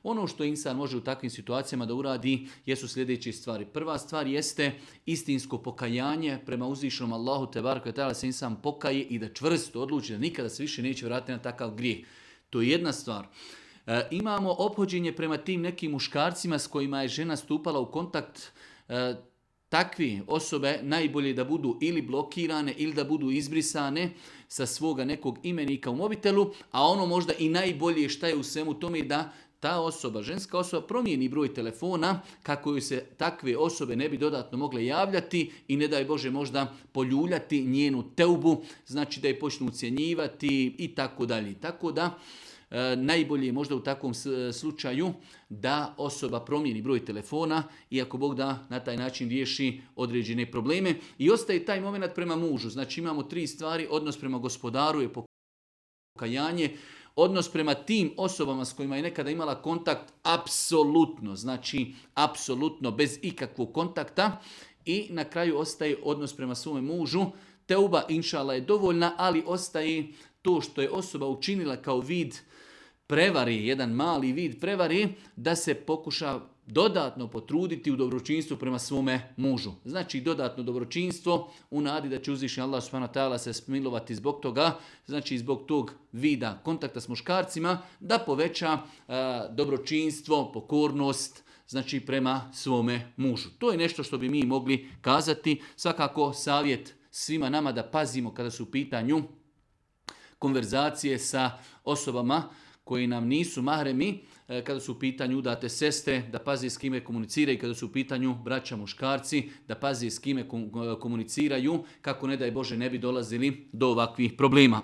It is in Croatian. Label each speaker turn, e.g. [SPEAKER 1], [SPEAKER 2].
[SPEAKER 1] Ono što insan može u takvim situacijama da uradi jesu sljedeće stvari. Prva stvar jeste istinsko pokajanje prema uzvišenom Allahu tebareke ve taala, se insan pokaje i da čvrsto odluči da nikada se više neće vratiti na takav grijeh. To je jedna stvar. Imamo ophođenje prema tim nekim muškarcima s kojima je žena stupala u kontakt. Takvi osobe najbolje da budu ili blokirane ili da budu izbrisane sa svoga nekog imenika u mobitelu, a ono možda i najbolje šta je u svemu tome da ta osoba, ženska osoba, promijeni broj telefona kako joj se takve osobe ne bi dodatno mogle javljati i ne daj Bože možda poljuljati njenu teubu, znači da je počnu ucjenjivati i tako dalje. Tako da najbolje je možda u takvom slučaju da osoba promijeni broj telefona i ako Bog da na taj način riješi određene probleme. I ostaje taj moment prema mužu. Znači imamo 3 stvari, odnos prema gospodaru je pokajanje, odnos prema tim osobama s kojima je nekada imala kontakt apsolutno, znači apsolutno bez ikakvog kontakta i na kraju ostaje odnos prema svome mužu. Teuba inšala je dovoljna, ali ostaje to što je osoba učinila kao vid prevari, jedan mali vid prevari, da se pokuša dodatno potruditi u dobročinstvu prema svome mužu. Znači dodatno dobročinstvo u nadi da će uzvišeni Allah subhanahu wa ta'ala se smilovati zbog toga, znači zbog tog vida kontakta s muškarcima, da poveća dobročinstvo, pokornost, znači prema svome mužu. To je nešto što bi mi mogli kazati. Svakako savjet svima nama da pazimo kada su u pitanju konverzacije sa osobama koji nam nisu mahremi, kada su u pitanju udate sestre, da pazi s kime komuniciraju, kada su u pitanju braća muškarci, da pazi s kime komuniciraju, kako ne daj Bože ne bi dolazili do ovakvih problema.